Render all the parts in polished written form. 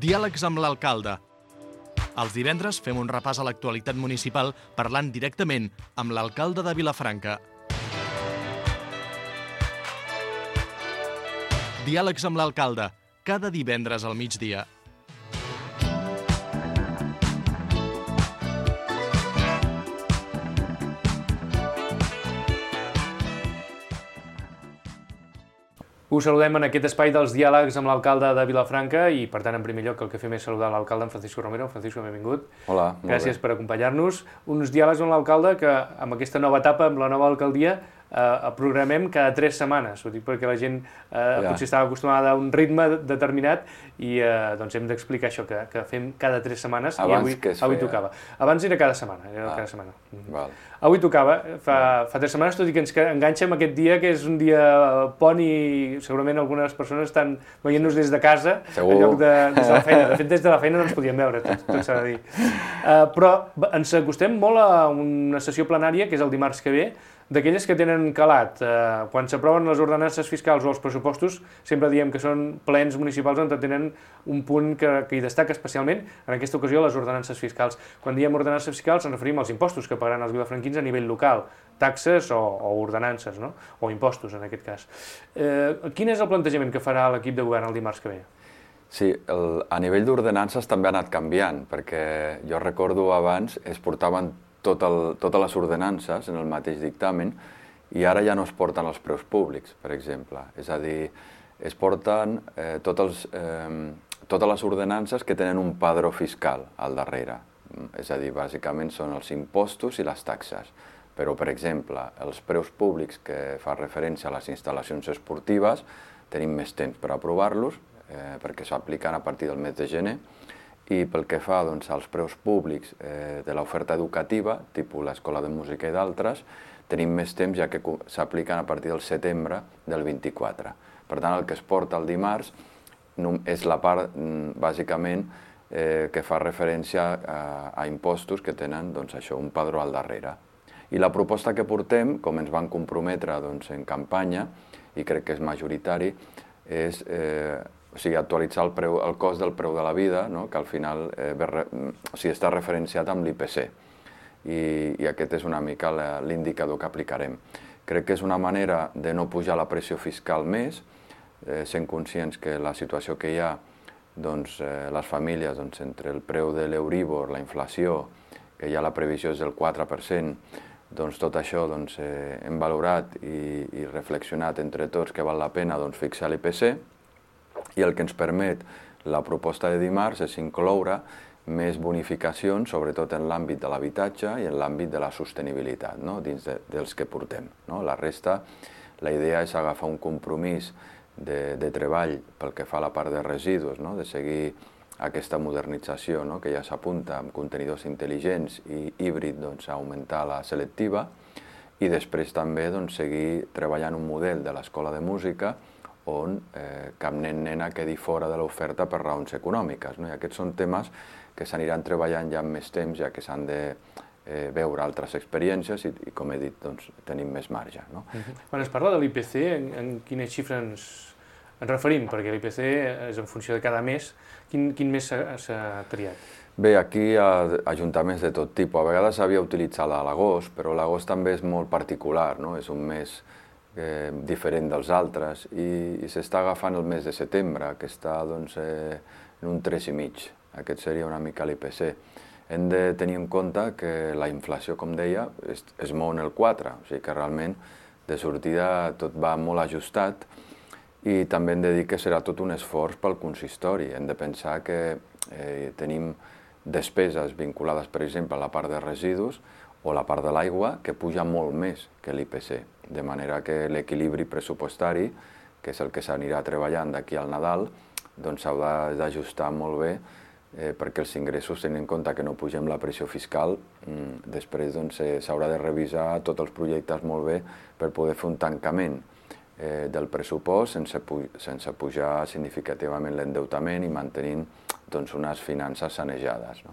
Diàlegs amb l'alcalde. Els divendres fem un repàs a l'actualitat municipal parlant directament amb l'alcalde de Vilafranca. Diàlegs amb l'alcalde, cada divendres al migdia. Us saludem en aquest espai dels diàlegs amb l'alcalde de Vilafranca i, per tant, en primer lloc, el que fem és saludar l'alcalde, en Francisco Romero. Francisco, benvingut. Hola, molt bé. Gràcies per acompanyar-nos. Uns diàlegs amb l'alcalde que, amb aquesta nova etapa, amb la nova alcaldia, programem cada 3 setmanes. Ho dic perquè la gent potser estava acostumada a un ritme determinat i doncs hem d'explicar això, que fem cada 3 setmanes. Abans i avui tocava. Abans era cada setmana. Val. Avui tocava, fa 3 setmanes, tot i que ens enganxa amb aquest dia, que és un dia pont i segurament algunes persones estan veient-nos des de casa, en lloc des de la feina. De fet, des de la feina no ens podíem veure, tot s'ha de dir. Però ens acostem molt a una sessió plenària, que és el dimarts que ve, d'aquelles que tenen calat. Quan s'aproven les ordenances fiscals o els pressupostos, sempre diem que són plens municipals on tenen un punt que hi destaca especialment, en aquesta ocasió, les ordenances fiscals. Quan diem ordenances fiscals ens referim als impostos que pagaran els vilafranquins a nivell local, taxes o ordenances, no? O impostos, en aquest cas. Quin és el plantejament que farà l'equip de govern el dimarts que ve? Sí, a nivell d'ordenances també ha anat canviant, perquè jo recordo abans es portaven totes les ordenances en el mateix dictamen i ara ja no es porten els preus públics, per exemple. És a dir, es porten totes les ordenances que tenen un padró fiscal al darrere. És a dir, bàsicament són els impostos i les taxes. Però, per exemple, els preus públics que fa referència a les instal·lacions esportives tenim més temps per aprovar-los perquè s'apliquen a partir del mes de gener. I pel que fa als preus públics de l'oferta educativa, tipus l'Escola de Música i d'altres, tenim més temps ja que s'apliquen a partir del setembre del 24. Per tant, el que es porta el dimarts és la part, bàsicament, que fa referència a impostos que tenen un padró al darrere. I la proposta que portem, com ens van comprometre en campanya, i crec que és majoritari, és actualitzar el cost del preu de la vida, que al final està referenciat amb l'IPC. I aquest és una mica l'indicador que aplicarem. Crec que és una manera de no pujar la pressió fiscal més, sent conscients que la situació que hi ha, les famílies, entre el preu de l'Euríbor, la inflació, que ja la previsió és del 4%, tot això hem valorat i reflexionat entre tots que val la pena fixar l'IPC, i el que ens permet la proposta de dimarts és incloure més bonificacions, sobretot en l'àmbit de l'habitatge i en l'àmbit de la sostenibilitat, dins dels que portem. La resta, la idea és agafar un compromís de treball pel que fa a la part de residus, de seguir aquesta modernització que ja s'apunta amb contenidors intel·ligents i híbrid a augmentar la selectiva i després també seguir treballant un model de l'escola de música on cap nen-nena quedi fora de l'oferta per raons econòmiques. I aquests són temes que s'aniran treballant ja amb més temps, ja que s'han de veure altres experiències i com he dit, tenim més marge. Quan es parla de l'IPC, en quines xifres ens referim? Perquè l'IPC és en funció de cada mes. Quin mes s'ha triat? Bé, aquí hi ha ajuntaments de tot tipus. A vegades s'havia utilitzat l'agost, però l'agost també és molt particular, és un mes diferent dels altres i s'està agafant el mes de setembre, que està en un 3,5. Aquest seria una mica l'IPC. Hem de tenir en compte que la inflació, com deia, es mou en el 4, o sigui que realment de sortida tot va molt ajustat i també hem de dir que serà tot un esforç pel consistori. Hem de pensar que tenim despeses vinculades, per exemple, a la part de residus o la part de l'aigua, que puja molt més que l'IPC, de manera que l'equilibri pressupostari, que és el que s'anirà treballant d'aquí al Nadal, s'haurà d'ajustar molt bé perquè els ingressos, tenint en compte que no pugem la pressió fiscal, després s'haurà de revisar tots els projectes molt bé per poder fer un tancament del pressupost sense pujar significativament l'endeutament i mantenint unes finances sanejades.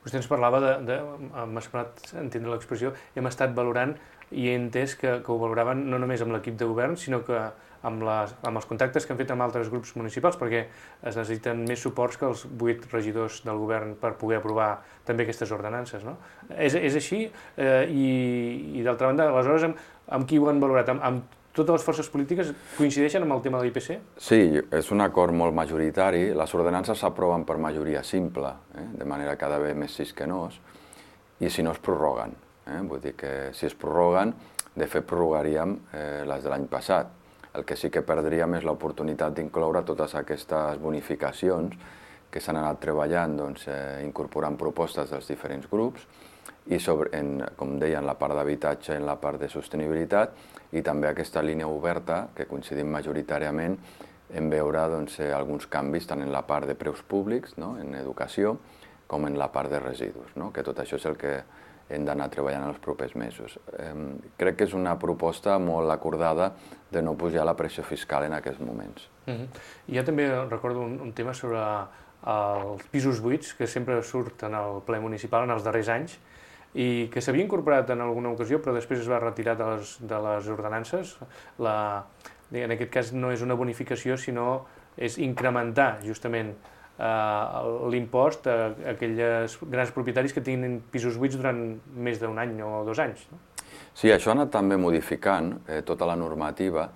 Vostè ens parlava m'ha semblat entendre l'expressió, hem estat valorant i he entès que ho valoraven no només amb l'equip de govern, sinó que amb els contactes que han fet amb altres grups municipals, perquè es necessiten més suports que els 8 regidors del govern per poder aprovar també aquestes ordenances, no? És així, i d'altra banda, aleshores, amb qui ho han valorat? Amb totes les forces polítiques coincideixen amb el tema de l'IPC? Sí, és un acord molt majoritari. Les ordenances s'aproven per majoria simple, de manera cada vegada més sis que no, i si no es prorroguen. Vull dir que si es prorroguen, de fet prorrogaríem les de l'any passat. El que sí que perdríem és l'oportunitat d'incloure totes aquestes bonificacions que s'han anat treballant, incorporant propostes dels diferents grups, i com deia, en la part d'habitatge i en la part de sostenibilitat, i també aquesta línia oberta, que coincidim majoritàriament en veure alguns canvis tant en la part de preus públics, en educació, com en la part de residus, que tot això és el que hem d'anar treballant els propers mesos. Crec que és una proposta molt acordada de no pujar la pressió fiscal en aquests moments. Jo també recordo un tema sobre els pisos buits, que sempre surt en el ple municipal en els darrers anys, i que s'havia incorporat en alguna ocasió, però després es va retirar de les ordenances. En aquest cas no és una bonificació, sinó és incrementar justament l'impost a aquells grans propietaris que tinguin pisos buits durant més d'un any o 2 anys. Sí, això ha anat també modificant tota la normativa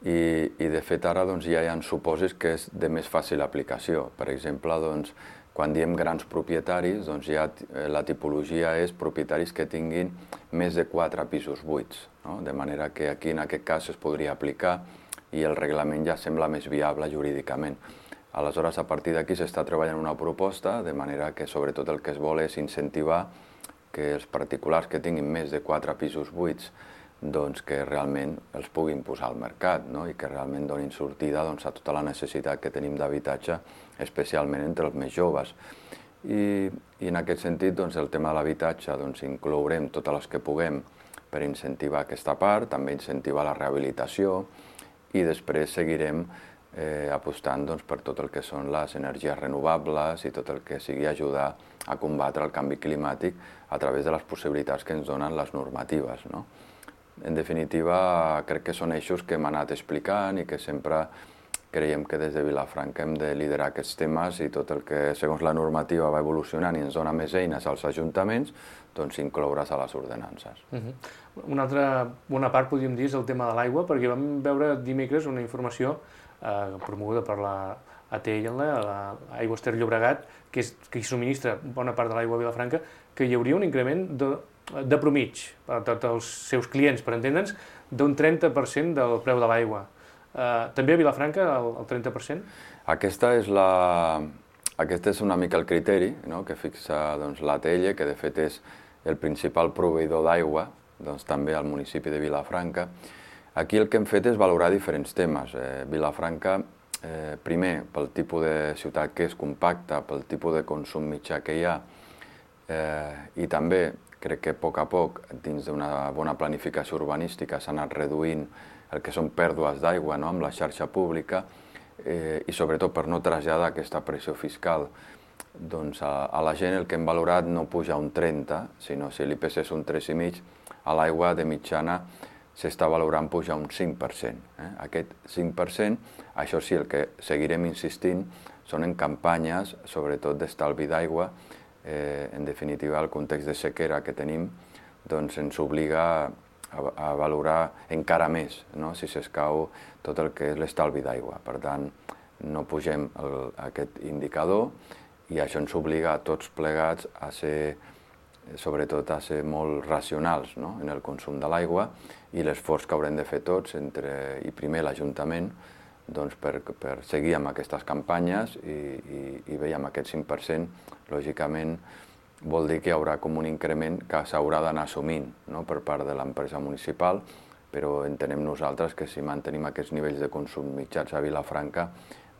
i de fet ara ja hi ha supòsits que és de més fàcil aplicació. Per exemple, quan diem grans propietaris, ja la tipologia és propietaris que tinguin més de 4 pisos buits, de manera que aquí en aquest cas es podria aplicar i el reglament ja sembla més viable jurídicament. Aleshores, a partir d'aquí s'està treballant una proposta, de manera que sobretot el que es vol és incentivar que els particulars que tinguin més de 4 pisos buits que realment els puguin posar al mercat i que realment donin sortida a tota la necessitat que tenim d'habitatge, especialment entre els més joves. I en aquest sentit, el tema de l'habitatge, inclourem totes les que puguem per incentivar aquesta part, també incentivar la rehabilitació i després seguirem apostant per tot el que són les energies renovables i tot el que sigui ajudar a combatre el canvi climàtic a través de les possibilitats que ens donen les normatives. En definitiva, crec que són eixos que hem anat explicant i que sempre creiem que des de Vilafranca hem de liderar aquests temes i tot el que, segons la normativa, va evolucionant i ens dona més eines als ajuntaments, incloure's a les ordenances. Una altra bona part, podríem dir, és el tema de l'aigua, perquè vam veure dimecres una informació promoguda per la ATL, l'Aigües Ter Llobregat, que hi subministra bona part de l'aigua a Vilafranca, que hi hauria un increment de promig per a tots els seus clients, per entendre'ns, d'un 30% del preu de l'aigua. També a Vilafranca, el 30%? Aquest és una mica el criteri que fixa l'ATL, que de fet és el principal proveïdor d'aigua, també al municipi de Vilafranca. Aquí el que hem fet és valorar diferents temes. Vilafranca, primer, pel tipus de ciutat que és compacta, pel tipus de consum mitjà que hi ha, i també crec que a poc, dins d'una bona planificació urbanística, s'ha anat reduint el que són pèrdues d'aigua amb la xarxa pública i sobretot per no traslladar aquesta pressió fiscal a la gent. El que hem valorat no puja un 30, sinó si l'IPC és un 3,5, a l'aigua de mitjana s'està valorant pujar un 5%. Aquest 5%, això sí, el que seguirem insistint són en campanyes, sobretot d'estalvi d'aigua. En definitiva, el context de sequera que tenim ens obliga a valorar encara més si s'escau tot el que és l'estalvi d'aigua. Per tant, no pugem aquest indicador i això ens obliga a tots plegats a ser, sobretot a ser molt racionals en el consum de l'aigua i l'esforç que haurem de fer tots, i primer l'Ajuntament, per seguir amb aquestes campanyes i bé, amb aquest 5%, lògicament vol dir que hi haurà com un increment que s'haurà d'anar assumint per part de l'empresa municipal, però entenem nosaltres que si mantenim aquests nivells de consum mitjans a Vilafranca,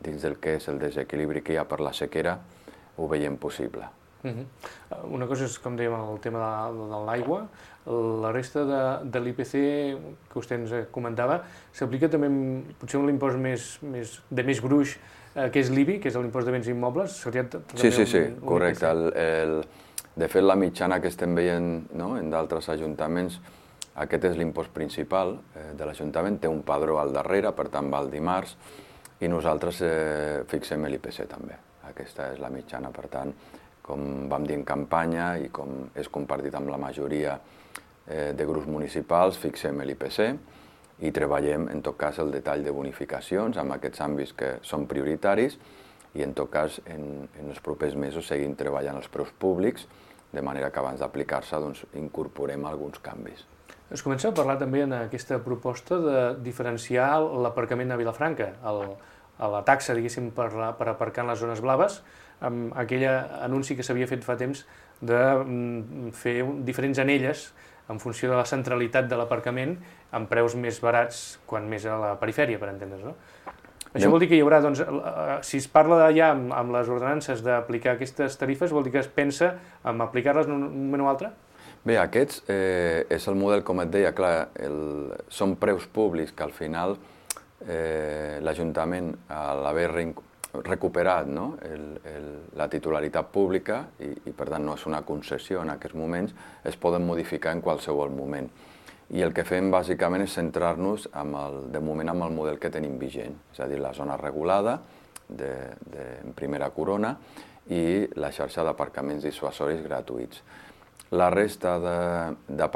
dins del que és el desequilibri que hi ha per la sequera, ho veiem possible. Una cosa és, com dèiem, el tema de l'aigua. La resta de l'IPC que vostè ens comentava s'aplica també potser un impost de més gruix, que és l'IBI, que és l'impost de béns immobles. Sí, correcte. De fet, la mitjana que estem veient en d'altres ajuntaments Aquest és l'impost principal de l'Ajuntament, té un padró al darrere, per tant va el dimarts, i nosaltres fixem l'IPC també. Aquesta és la mitjana, per tant, com vam dir en campanya i com és compartit amb la majoria de grups municipals, fixem l'IPC i treballem, en tot cas, el detall de bonificacions amb aquests àmbits que són prioritaris i, en tot cas, en els propers mesos seguim treballant els preus públics, de manera que abans d'aplicar-se incorporem alguns canvis. Es comença a parlar també en aquesta proposta de diferenciar l'aparcament a Vilafranca, la taxa, diguéssim, per aparcar en les zones blaves, amb aquell anunci que s'havia fet fa temps de fer diferents anelles en funció de la centralitat de l'aparcament amb preus més barats quan més a la perifèria, per entendre's, no? Això vol dir que hi haurà, doncs, si es parla ja amb les ordenances d'aplicar aquestes tarifes, vol dir que es pensa en aplicar-les en un moment o altre? Bé, aquests és el model, com et deia, clar, són preus públics que al final l'Ajuntament, a l'haver recuperat la titularitat pública i per tant no és una concessió en aquests moments, es poden modificar en qualsevol moment. I el que fem bàsicament és centrar-nos de moment amb el model que tenim vigent, és a dir, la zona regulada en primera corona i la xarxa d'aparcaments dissuasoris gratuïts. La resta de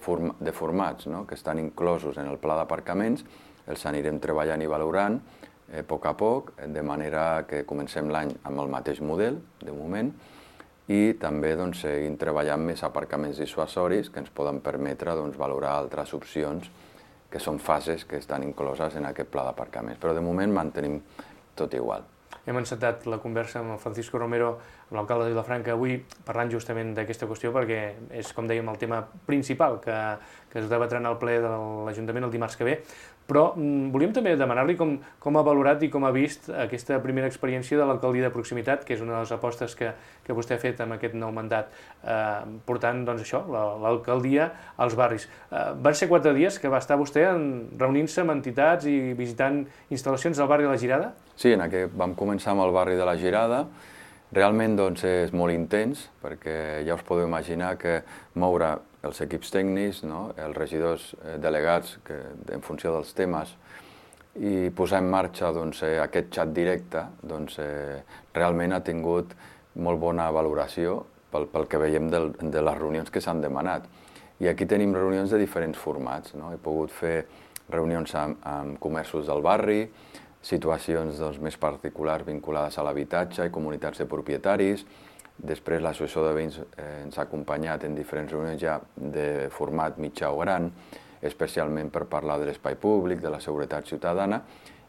formats que estan inclosos en el pla d'aparcaments els anirem treballant i valorant a poc, de manera que comencem l'any amb el mateix model, de moment, i també seguim treballant més aparcaments dissuasoris que ens poden permetre valorar altres opcions que són fases que estan incloses en aquest pla d'aparcaments. Però de moment mantenim tot igual. Hem encetat la conversa amb el Francisco Romero, amb l'alcalde de Vilafranca, avui parlant justament d'aquesta qüestió perquè és, com dèiem, el tema principal que es debatrà en el ple de l'Ajuntament el dimarts que ve. Però volíem també demanar-li com ha valorat i com ha vist aquesta primera experiència de l'alcaldia de proximitat, que és una de les apostes que vostè ha fet amb aquest nou mandat, portant l'alcaldia als barris. Van ser 4 dies que va estar vostè reunint-se amb entitats i visitant instal·lacions del barri de la Girada? Sí, vam començar amb el barri de la Girada. Realment és molt intens, perquè ja us podeu imaginar que moure els equips tècnics, els regidors delegats en funció dels temes i posar en marxa aquest xat directe, realment ha tingut molt bona valoració pel que veiem de les reunions que s'han demanat. I aquí tenim reunions de diferents formats. He pogut fer reunions amb comerços del barri, situacions més particulars vinculades a l'habitatge i comunitats de propietaris. Després l'associació de veïns ens ha acompanyat en diferents reunions ja de format mitjà o gran, especialment per parlar de l'espai públic, de la seguretat ciutadana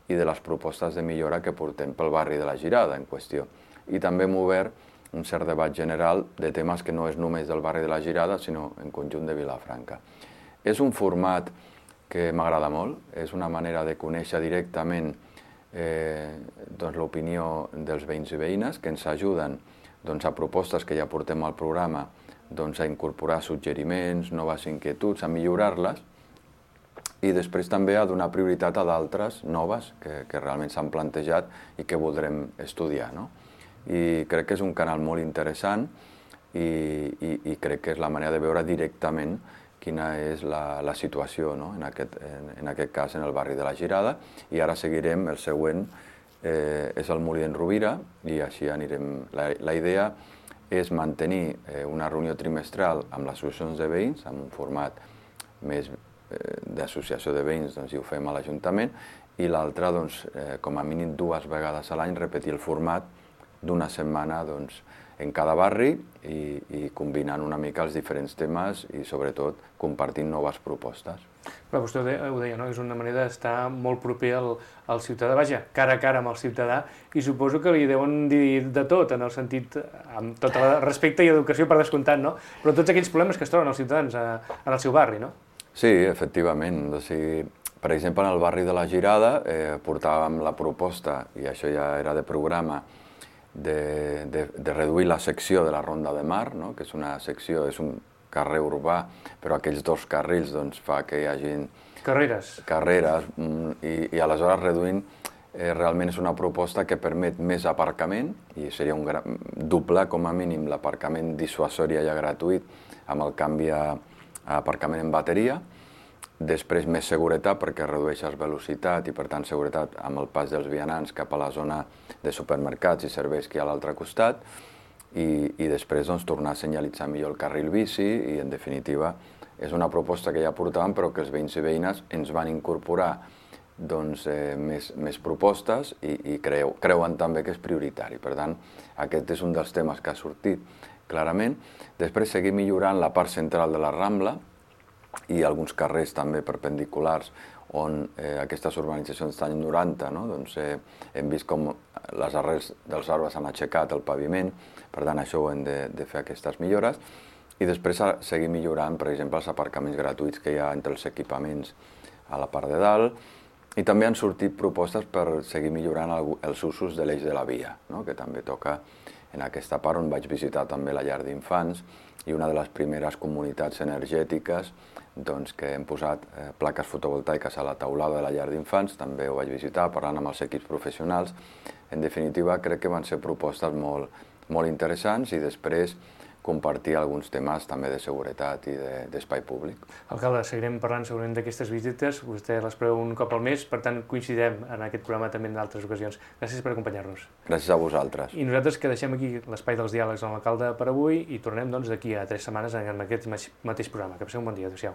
i de les propostes de millora que portem pel barri de la Girada en qüestió. I també hem obert un cert debat general de temes que no és només del barri de la Girada, sinó en conjunt de Vilafranca. És un format que m'agrada molt, és una manera de conèixer directament l'opinió dels veïns i veïnes que ens ajuden a propostes que ja portem al programa a incorporar suggeriments, noves inquietuds, a millorar-les i després també a donar prioritat a d'altres noves que realment s'han plantejat i que voldrem estudiar. I crec que és un canal molt interessant i crec que és la manera de veure directament quina és la situació, en aquest cas en el barri de la Girada, i ara seguirem, el següent és el Molí d'en Rovira, i així anirem. La idea és mantenir una reunió trimestral amb les associacions de veïns, amb un format més d'associació de veïns, i ho fem a l'Ajuntament, i l'altra, com a mínim 2 vegades a l'any, repetir el format d'una setmana en cada barri i combinant una mica els diferents temes i sobretot compartint noves propostes. Però vostè ho deia, és una manera d'estar molt proper al ciutadà, vaja, cara a cara amb el ciutadà, i suposo que li deuen dir de tot, en el sentit, amb tot el respecte i educació per descomptat, però tots aquells problemes que es troben els ciutadans en el seu barri, no? Sí, efectivament. Per exemple, en el barri de la Girada portàvem la proposta, i això ja era de programa, de reduir la secció de la Ronda de Mar, que és una secció, és un carrer urbà, però aquells 2 carrils fa que hi hagi carreres i aleshores reduint realment és una proposta que permet més aparcament i seria doblar com a mínim l'aparcament dissuasori allà gratuït amb el canvi a aparcament en bateria, després més seguretat perquè redueixes velocitat i per tant seguretat amb el pas dels vianants cap a la zona de supermercats i serveis que hi ha a l'altre costat i després doncs, tornar a senyalitzar millor el carril bici i en definitiva és una proposta que ja portàvem però que els veïns i veïnes ens van incorporar doncs, més propostes i creuen també que és prioritari. Per tant, aquest és un dels temes que ha sortit clarament. Després seguir millorant la part central de la Rambla i alguns carrers també perpendiculars on aquestes urbanitzacions estan 90, no? Doncs, hem vist com les arrels dels arbres han aixecat el paviment, per tant això ho hem de fer aquestes millores i després seguir millorant, per exemple, els aparcaments gratuïts que hi ha entre els equipaments a la part de dalt i també han sortit propostes per seguir millorant els usos de l'eix de la via, no? Que també toca en aquesta part on vaig visitar també la llar d'infants i una de les primeres comunitats energètiques doncs, que hem posat plaques fotovoltaiques a la teulada de la llar d'infants, també ho vaig visitar parlant amb els equips professionals. En definitiva, crec que van ser propostes molt interessants i després compartir alguns temes també de seguretat i d'espai públic. Alcalde, seguirem parlant segurament d'aquestes visites, vostè les preveu un cop al mes, per tant coincidirem en aquest programa també en altres ocasions. Gràcies per acompanyar-nos. Gràcies a vosaltres. I nosaltres que deixem aquí l'espai dels diàlegs amb l'alcalde per avui i tornem doncs d'aquí a 3 setmanes en aquest mateix programa. Que passeu un bon dia. Adéu-siau.